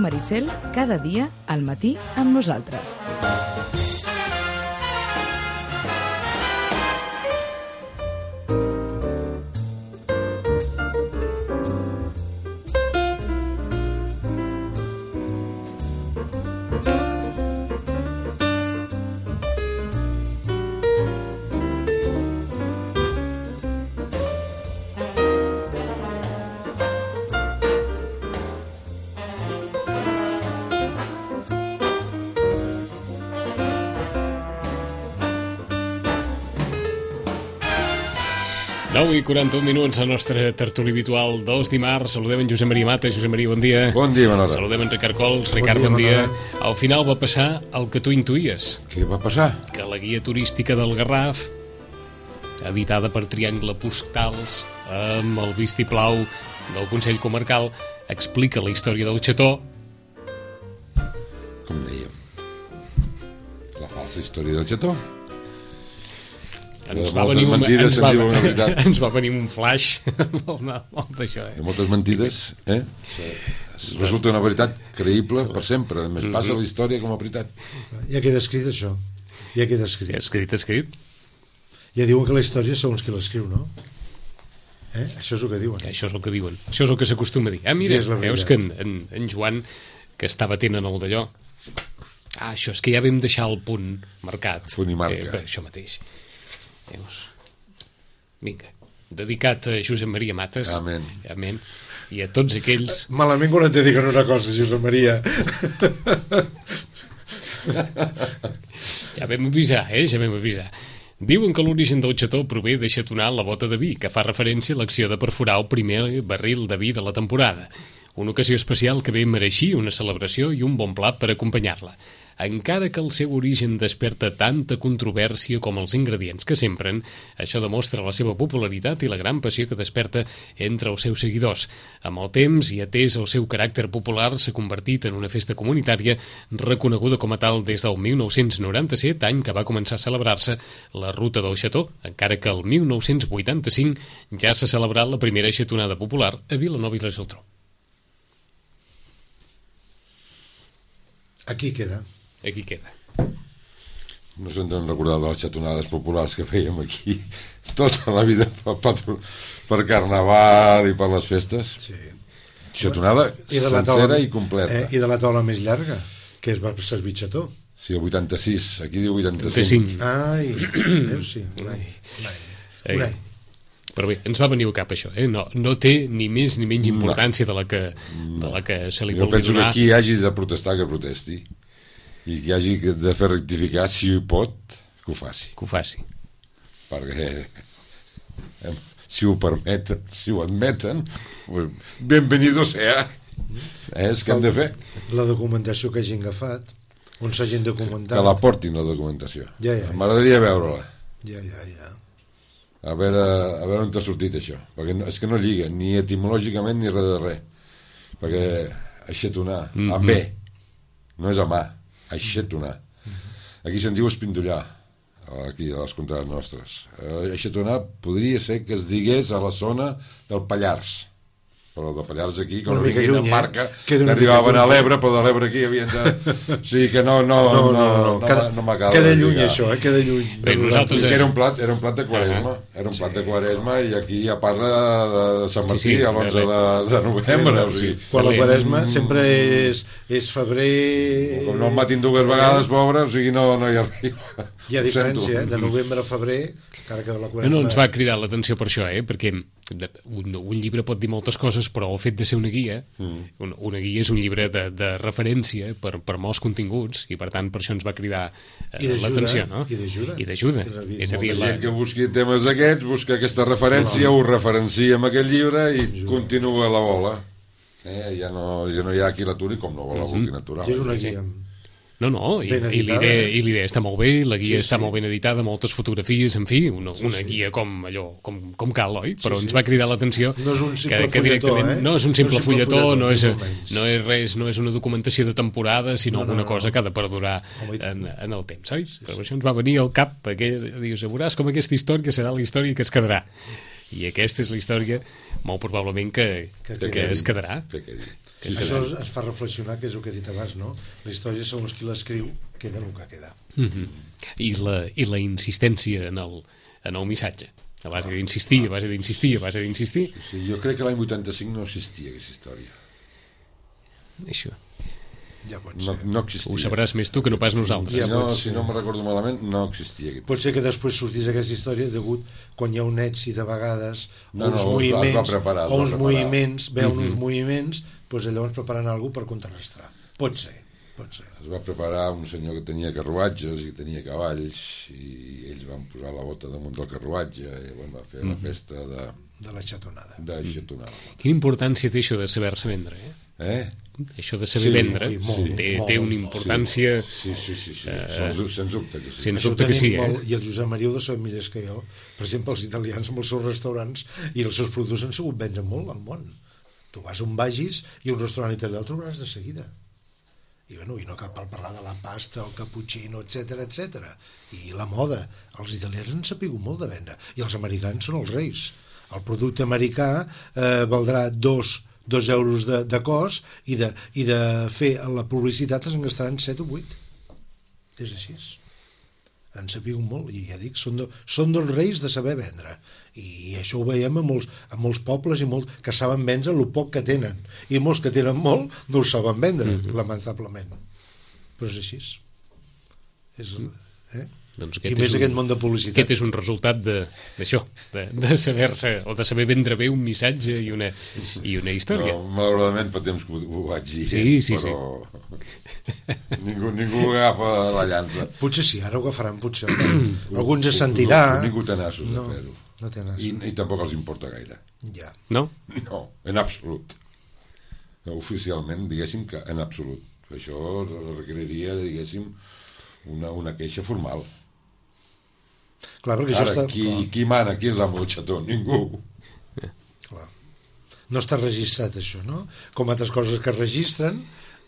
Maricel, cada dia al matí amb nosaltres. I 41 minuts al nostre tertuli habitual dels dimarts. Saludem en Josep Maria Mata. Josep Maria, bon dia. Bon dia, Manolo. Saludem en Ricard Cols. Ricard, bon dia. Al final va passar el que tu intuïes. Què va passar? Que la guia turística del Garraf, editada per Triangle Postals, amb el vistiplau del Consell Comarcal, explica la història del xató. Com dèiem, la falsa història del xató. Ens va venir un flash molt d'això. De moltes mentides, resulta una veritat creïble per sempre. A més, passa la història com a veritat. Ja queda escrit això. Ja queda escrit. Escrit. Ja diuen que la història és segons qui l'escriu, no? Això és el que diuen. Això és el que diuen. Això és el que s'acostuma a dir. Mira, veus que en Joan, que estava atent en el d'allò, això és que ja vam deixar el punt marcat. Punt i marca. Això mateix. Vinga, dedicat a Josep Maria Mates. Amén. I a tots aquells... Malament quan et dediquen una cosa, Josep Maria. Ja vam avisar. Diuen que l'origen del xató prové de xatonar la bota de vi, que fa referència a l'acció de perforar el primer barril de vi de la temporada. Una ocasió especial que bé mereixia una celebració i un bon plat per acompanyar-la. Encara que el seu origen desperta tanta controvèrsia com els ingredients que s'empren, això demostra la seva popularitat i la gran passió que desperta entre els seus seguidors. Amb el temps i atès el seu caràcter popular, s'ha convertit en una festa comunitària reconeguda com a tal des del 1997, any que va començar a celebrar-se la Ruta del Xató, encara que el 1985 ja s'ha celebrat la primera xatonada popular a Vilanova i la Geltrú. Aquí queda. No se'n deuen recordar de les xatonades populars que fèiem aquí tota la vida per Carnaval i per les festes. Sí. Xatonada sencera i completa. I de la taula més llarga, que es va servir xató. Sí, el 86, aquí diu 85. Ai, veus, sí, un any. Però bé, ens va venir al cap això, no té ni més ni menys importància de la que se li vulgui donar. Jo penso que qui hagi de protestar que protesti, i qui hagi de fer rectificar, si ho pot, que ho faci. Perquè si ho permeten, si ho admeten, benvenido sea. És que hem de fer. La documentació que hagin agafat, on s'hagin documentat. Que la portin, la documentació. Ja. M'agradaria veure-la. Ja. A veure on t'ha sortit això. Perquè és que no lliga, ni etimològicament ni res de res. Perquè aixetonar, amb B, no és amb A. Aixetonar. Aquí se'n diu espindollar, aquí a les contrades nostres. Aixetonar podria ser que es digués a la zona del Pallars, però de Pallars aquí, com no vinguin en barca, que arribaven a l'Ebre, però de l'Ebre aquí havien de... O sigui que no m'acaba. Queda lluny això, queda lluny. Era un plat de Quaresma, i aquí ja parla de Sant Martí a l'11 de novembre. Quan la Quaresma sempre és febrer... Com no el matin dues vegades, pobre, o sigui, no hi arriba. Hi ha diferència, de novembre a febrer, encara que la Quaresma... No, ens va cridar l'atenció per això, perquè un llibre pot dir moltes coses, però el fet de ser una guia, una guia és un llibre de referència per molts continguts, i per tant per això ens va cridar l'atenció, no? I d'ajuda. És a dir, la gent que busqui temes d'aquests, busca aquesta referència, ho referencia en aquest llibre i continua la bola. Ja no hi ha qui l'aturi com no vol la vulgui natural. És una guia. No, i l'idea està molt bé, la guia està molt ben editada, moltes fotografies, en fi, una guia com cal, oi? Però ens va cridar l'atenció que directament no és un simple fulletó, no és res, no és una documentació de temporada, sinó alguna cosa que ha de perdurar en el temps, oi? Però això ens va venir al cap, perquè dius, veuràs com aquesta història serà la història que es quedarà. I aquesta és la història, molt probablement, que es quedarà. Això ens fa reflexionar, que és el que he dit abans, no? La història, segons qui l'escriu, queda el que queda. I la insistència en el missatge, a base d'insistir, a base d'insistir, a base d'insistir. Sí, jo crec que l'any 85 no existia aquesta història. Això. Ja pot ser. No existia. Ho sabràs més tu que no pas nosaltres. Si no me recordo malament, no existia. Pot ser que després sortís aquesta història degut quan hi ha un èxit a vegades, uns moviments, veuen uns moviments, doncs llavors preparant alguna cosa per contrarrestar. Pot ser. Es va preparar un senyor que tenia carruatges i tenia cavalls i ells van posar la bota damunt del carruatge i va fer la festa de la xatonada. Quina importància té això de saber-se vendre, Això de saber vendre té una importància... Sí. Sens dubte que sí. Sens dubte que sí, I el Josep Maria ho saben millor que jo. Per exemple, els italians amb els seus restaurants i els seus productes han sabut vendre molt al món. Tu vas on vagis i un restaurant italià el trobaràs de seguida. I no cal parlar de la pasta, el cappuccino, etc. I la moda. Els italians han sapigut molt de vendre. I els americans són els reis. El producte americà valdrà 2 euros de cost i de fer la publicitat es gastaran 7 o 8. És així. Han sapigut molt, i ja dic, són dels reis de saber vendre. I això ho veiem a molts pobles que saben vendre el poc que tenen. I molts que tenen molt no ho saben vendre, lamentablement. Però és així. Doncs i més aquest món de publicitat. Aquest és un resultat d'això, de saber-se o de saber vendre bé un missatge i una història. Malauradament fa temps que ho vaig dir, però ningú agafa la llança. Potser sí, ara ho agafaran, potser. Alguns es sentirà. Ningú té nassos de fer-ho. No té nassos. I tampoc els importa gaire. Ja. No? No, en absolut. Oficialment, diguéssim que en absolut. Això requeriria, diguéssim, una queixa formal. Clar, ara, qui mana? Qui és l'amo del xató? Ningú. Clar. No està registrat això, no? Com altres coses que es registren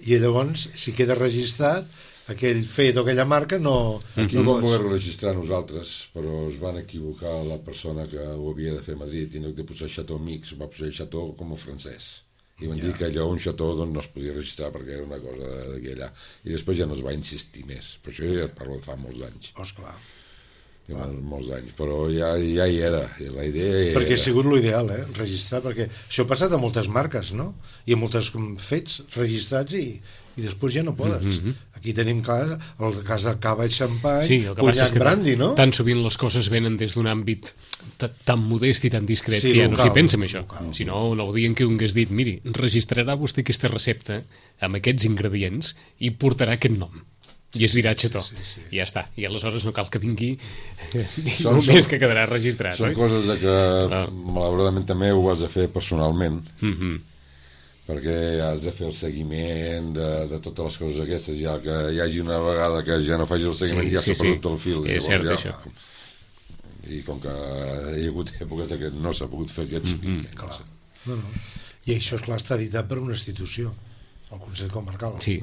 i llavors, si queda registrat aquell fet o aquella marca no... Aquí ho vam poder registrar nosaltres, però es van equivocar la persona que ho havia de fer a Madrid i no de posar xató mix, va posar xató com a francès i van dir que allò un xató no es podia registrar perquè era una cosa d'aquí allà i després ja no es va insistir més, però això ja parlo de fa molts anys. Clar. Molts anys, però ja hi era, la idea perquè ha sigut l'ideal, registrar, perquè això ha passat a moltes marques, no? I a molts fets registrats i després ja no podes. Aquí tenim clar el cas del cava i xampany, cunyac brandy, no? Tan sovint les coses venen des d'un àmbit tan modest i tan discret que ja no s'hi pensa en això. Si no, el dia en què un hagués dit, miri, registrarà vostè aquesta recepta amb aquests ingredients i portarà aquest nom. I es dirà xató, i ja està. I aleshores no cal que vingui només que quedarà registrat. Són coses que malauradament també ho has de fer personalment, perquè has de fer el seguiment de totes les coses aquestes, ja que hi hagi una vegada que ja no faci el seguiment ja s'ha perdut el fil. És cert, això. I com que hi ha hagut èpoques que no s'ha pogut fer aquest seguiment. I això, esclar, està editat per una institució, el Consell Comarcal. Sí.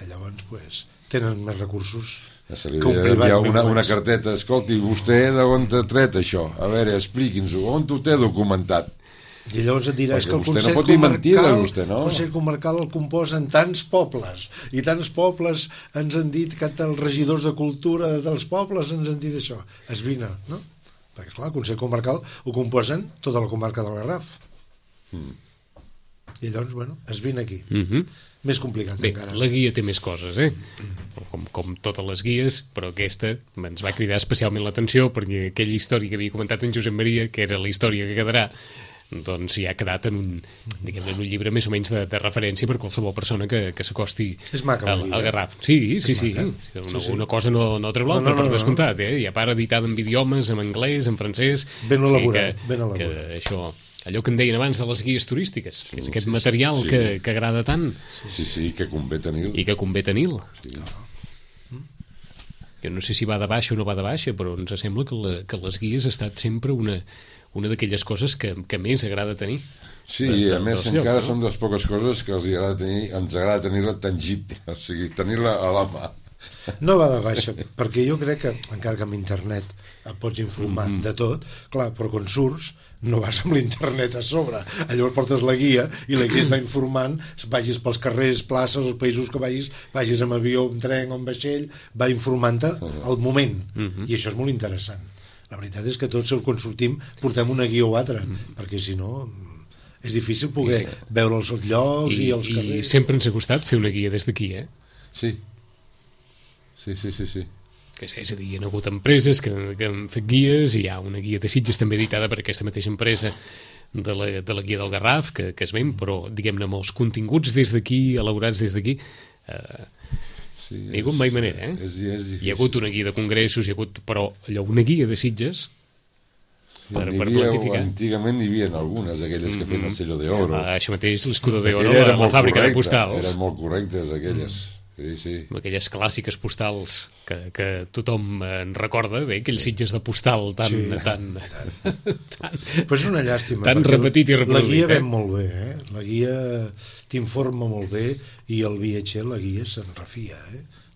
Llavors tenen més recursos que un privat. Hi ha una carteta, escolti, vostè d'on t'ha tret això? A veure, expliqui'ns-ho, on t'ho té documentat? I llavors et diràs que el Consell Comarcal el composen tants pobles i tants pobles ens han dit que els regidors de cultura dels pobles ens han dit això. Esvina, no? Perquè, esclar, el Consell Comarcal ho composen tota la comarca del Garraf. I llavors, esvina aquí. Més complicat encara. La guia té més coses, com totes les guies, però aquesta ens va cridar especialment l'atenció perquè aquella història que havia comentat en Josep Maria, que era la història que quedarà, doncs ja ha quedat en un llibre més o menys de referència per qualsevol persona que s'acosti al Garraf. Sí. Una cosa no treu l'altra, per descomptat, i a part editada en idiomes, en anglès, en francès. Ben elaborat. Això... Allò que en deien abans de les guies turístiques, que és aquest material que agrada tant. Sí, que convé tenir-lo. I que convé tenir-lo. Jo no sé si va de baixa o no va de baixa, però ens sembla que les guies ha estat sempre una d'aquelles coses que més agrada tenir. Sí, a més encara són de les poques coses que ens agrada tenir-la tangible, o sigui, tenir-la a la mà. No va de baixa, perquè jo crec que, encara que amb internet et pots informar de tot, clar, però quan surts no vas amb l'internet a sobre. Llavors portes la guia i la guia et va informant, vagis pels carrers, places, els països que vagis amb avió, amb tren o amb vaixell, va informant-te al moment. I això és molt interessant. La veritat és que tots quan sortim portem una guia o altra, perquè si no és difícil poder veure els llocs i els carrers. I sempre ens ha costat fer una guia des d'aquí, eh? Sí. Sí. És a dir, hi ha hagut empreses que han fet guies, i hi ha una guia de Sitges també editada per aquesta mateixa empresa de la guia del Garraf, que es ven, però diguem-ne amb els continguts des d'aquí, elaborats des d'aquí, no hi ha hagut mai manera, eh? Hi ha hagut una guia de congressos, però allò, una guia de Sitges per planificar. Antigament hi havia algunes, aquelles que feien el sello d'oro. Això mateix, l'escudo d'oro, la fàbrica de postals. Eren molt correctes, aquelles. Sí. Aquelles clàssiques postals que tothom en recorda, bé, aquells Sitges de postal tan però és una llàstima, tan repetit i reproduït. La guia ven molt bé, la guia t'informa molt bé, i el viatger, la guia se'n refia,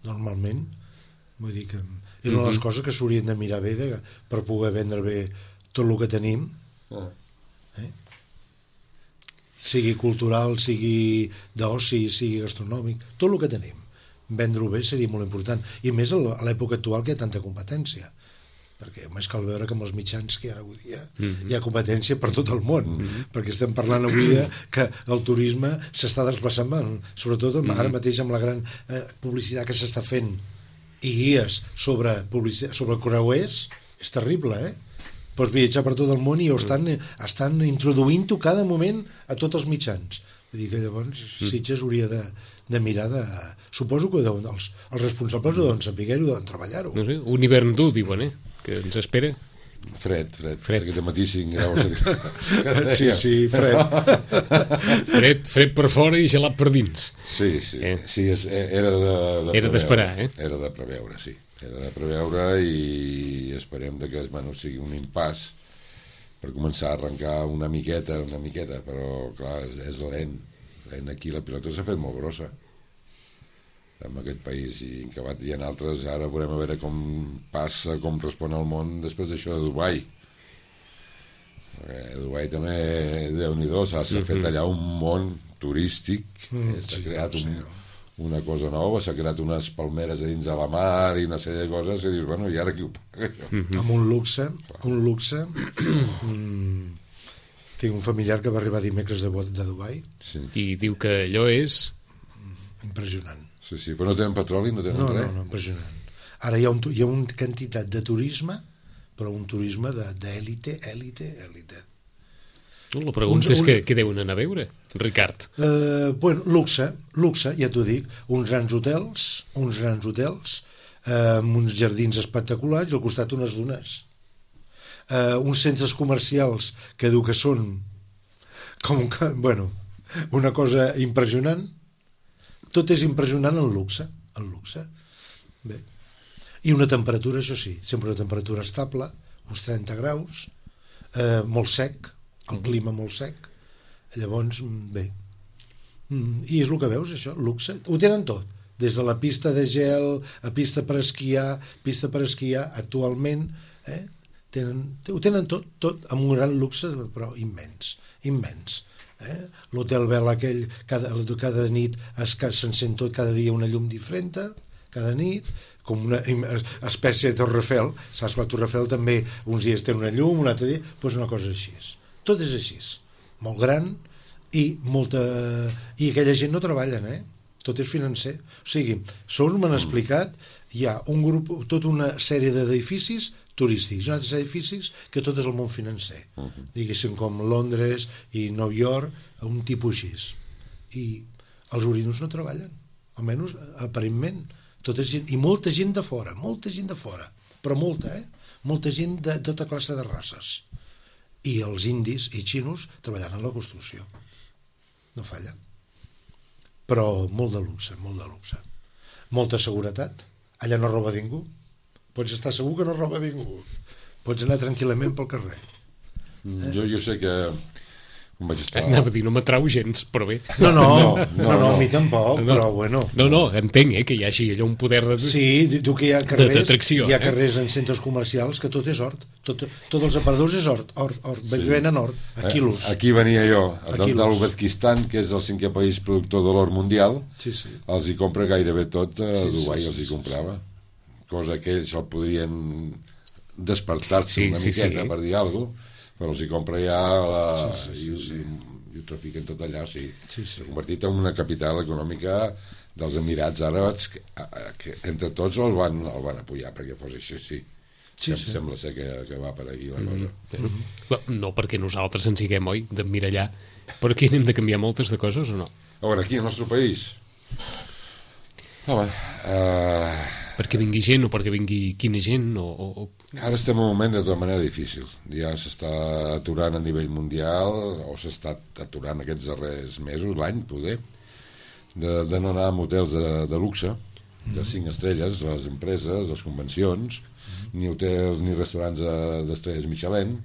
normalment. Vull dir que és una de les coses que s'haurien de mirar bé per poder vendre bé tot el que tenim, sigui cultural, sigui d'oci, sigui gastronòmic, tot el que tenim. Vendre-ho bé seria molt important, i més a l'època actual que hi ha tanta competència, perquè més cal veure que amb els mitjans que hi ha avui dia hi ha competència per tot el món, perquè estem parlant avui que el turisme s'està desplaçant, sobretot ara mateix amb la gran publicitat que s'està fent i guies sobre creuers, és terrible, pots viatjar per tot el món i estan introduint-ho cada moment a tots els mitjans. Vull dir que llavors Sitges hauria de mirar suposo que els responsables ho deuen saber-ho, deuen treballar-ho. No sé, un hivern dur, diuen, que ens espera. Fred. Aquest matí 5 graus. Sí, fred. Fred per fora i gelat per dins. Sí, era d'esperar, Era de preveure, sí. Era de preveure, i esperem que sigui un impàs per començar a arrencar una miqueta, però clar, és lent. Aquí la pilota s'ha fet molt grossa en aquest país, i que hi ha altres. Ara veurem a veure com passa, com respon el món després d'això de Dubai. Dubai també, Déu-n'hi-do, s'ha fet allà un món turístic, s'ha creat una cosa nova, s'ha creat unes palmeres a dins de la mar i una sèrie de coses, i dius, bueno, i ara qui ho paga? Amb un luxe. Tinc un familiar que va arribar dimecres de Dubai. I diu que allò és impressionant. Sí, però no tenen petroli, no tenen res. No, impressionant. Ara hi ha una quantitat de turisme, però un turisme d'èlite. La pregunta és què deuen anar a veure, Ricard? Luxe, ja t'ho dic. Uns grans hotels, amb uns jardins espectaculars i al costat unes dunes. Uns centres comercials que diu que són una cosa impressionant. Tot és impressionant en luxe. Bé. I una temperatura, això sí, sempre una temperatura estable, uns 30 graus, molt sec, el clima molt sec. Llavors, bé. I és el que veus, això, luxe. Ho tenen tot, des de la pista de gel a pista per esquiar, actualment, ho tenen tot amb un gran luxe, però immens. L'hotel Bel aquell, cada nit s'encén tot, cada dia una llum diferent, cada nit, com una espècie de Torre Eiffel. Saps que la Torre Eiffel també uns dies té una llum, un altre dia, doncs una cosa així. Tot és així, molt gran, i aquella gent no treballen, tot és financer. O sigui, segons m'han explicat, hi ha un grup, tota una sèrie d'edificis turístics, uns altres edificis que tot és el món financer, diguéssim com Londres i Nova York, un tipus així. I els orinos no treballen, almenys aparentment. I molta gent de fora, però molta gent de tota classe de races. I els indis i xinos treballant en la construcció. No falla. Però molt de luxe. Molta seguretat. Allà no roba ningú. Pots estar segur que no roba ningú. Pots anar tranquil·lament pel carrer. Jo sé que On vaig estar... Anava a dir, no m'atrau gens, però bé. No, No. a mi tampoc, però bueno. No, entenc, que hi hagi allò un poder de... Sí, diu que hi ha carrers, d'atracció, hi ha carrers en centres comercials que tot és hort. Tots els aparadors és hort, venen hort, a quilos. Aquí venia jo, A de quilos. l'Uzbekistan, que és el 5è país productor de l'or mundial, Sí. els hi compra gairebé tot a Dubai, sí, els hi comprava. Cosa que ells el podrien despertar-se una miqueta per dir alguna cosa, però els hi compra ja i ho trafiquen tot allà, s'ha convertit en una capital econòmica dels Emirats Àrabs que entre tots el van apoyar perquè fos així. Sembla ser que va per aquí la cosa. No perquè nosaltres ens siguem, oi, d'emmirallar, però aquí hem de canviar moltes de coses o no? A veure, aquí al nostre país perquè vingui gent o perquè vingui quina gent ara estem en un moment de tota manera difícil, ja s'està aturant a nivell mundial o s'està aturant aquests darrers mesos, l'any poder, de no anar a hotels de luxe de 5 estrelles, les empreses, les convencions, ni hotels ni restaurants d'estrelles Michelin,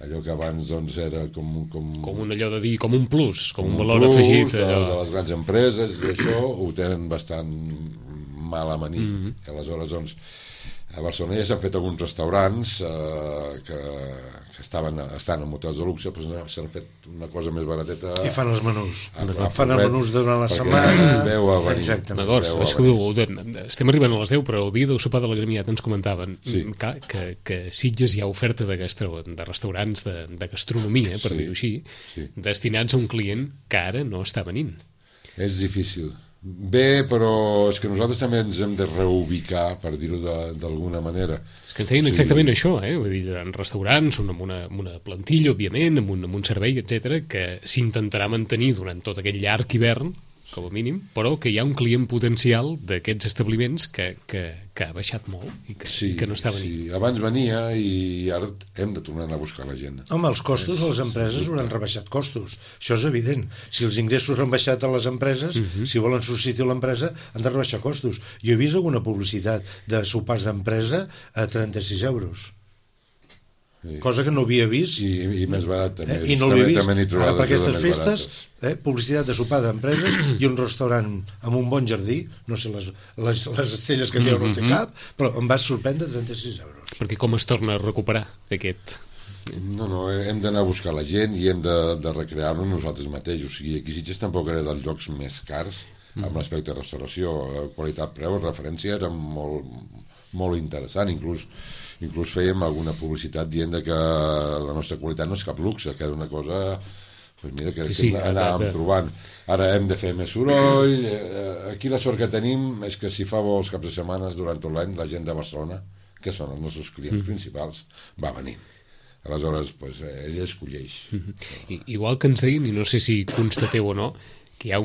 allò que abans doncs era com un allò de dir, com un plus, com un valor afegit de les grans empreses, i això ho tenen bastant mal amanit. Aleshores doncs a Barcelona ja s'han fet alguns restaurants que estan en hotels de luxe, però s'han fet una cosa més barateta I fan els menús fan els menús durant la setmana. D'acord, és que estem arribant a les 10, però el dia del sopar de la Gremiat ens comentaven que Sitges hi ha oferta de restaurants de gastronomia, per dir-ho així, destinats a un client que ara no està venint. És difícil. Bé, però és que nosaltres també ens hem de reubicar, per dir-ho d'alguna manera. És que ens deien exactament això, vull dir, en restaurants, amb una plantilla, òbviament, amb un servei, etc, que s'intentarà mantenir durant tot aquest llarg hivern, com a mínim, però que hi ha un client potencial d'aquests establiments que ha baixat molt i que no està venint. Sí, abans venia i ara hem de tornar a buscar la gent. Home, els costos a les empreses hauran rebaixat costos. Això és evident. Si els ingressos han baixat a les empreses, si volen substituir l'empresa, han de rebaixar costos. Jo he vist alguna publicitat de sopars d'empresa a 36 euros. Cosa que no havia vist i més barat també. I no l'havia vist. Ara per aquestes festes publicitat de sopar d'empreses i un restaurant amb un bon jardí, no sé les estelles que dieu no té cap, però em va sorprendre 36 euros. Perquè com es torna a recuperar aquest... No, hem d'anar a buscar la gent i hem de recrear-nos nosaltres mateixos. O sigui, aquí Sitges tampoc era dels llocs més cars amb l'aspecte de restauració. Qualitat-preu, referència era molt interessant, inclús fèiem alguna publicitat dient que la nostra qualitat no és cap luxe, que era una cosa que anàvem trobant. Ara hem de fer més soroll. Aquí la sort que tenim és que si fa vols caps de setmanes durant tot l'any, la gent de Barcelona, que són els nostres clients principals, va venint. Aleshores, ell escolleix. Igual que ens deien, i no sé si constateu o no, que hi ha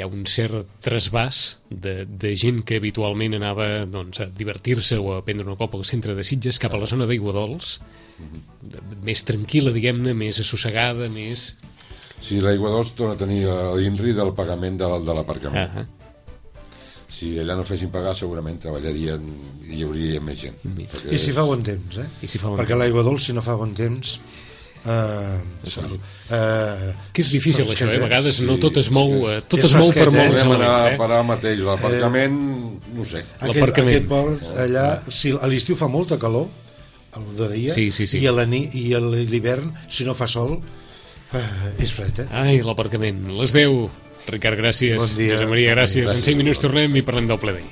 un cert trasbàs de gent que habitualment anava a divertir-se o a prendre una copa al centre de Sitges cap a la zona d'Aiguadols, més tranquil·la, diguem-ne, més assossegada, més... Sí, l'Aiguadols torna a tenir l'INRI del pagament de l'aparcament. Si allà no fessin pagar, segurament treballarien i hi hauria més gent. I si fa bon temps, perquè l'Aiguadols, si no fa bon temps... que és difícil això, a vegades no tot es mou per molts elements. Parar mateix l'aparcament, no sé. Aquest port allà, a l'estiu fa molta calor, el de dia, i a l'hivern, si no fa sol, és fred. Ai, l'aparcament, les 10. Ricard, gràcies. Bon dia. Josep Maria, gràcies. En 5 minuts tornem i parlem del ple d'ahir.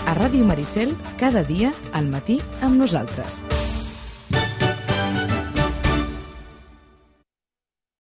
A Ràdio Maricel, cada dia, al matí, amb nosaltres.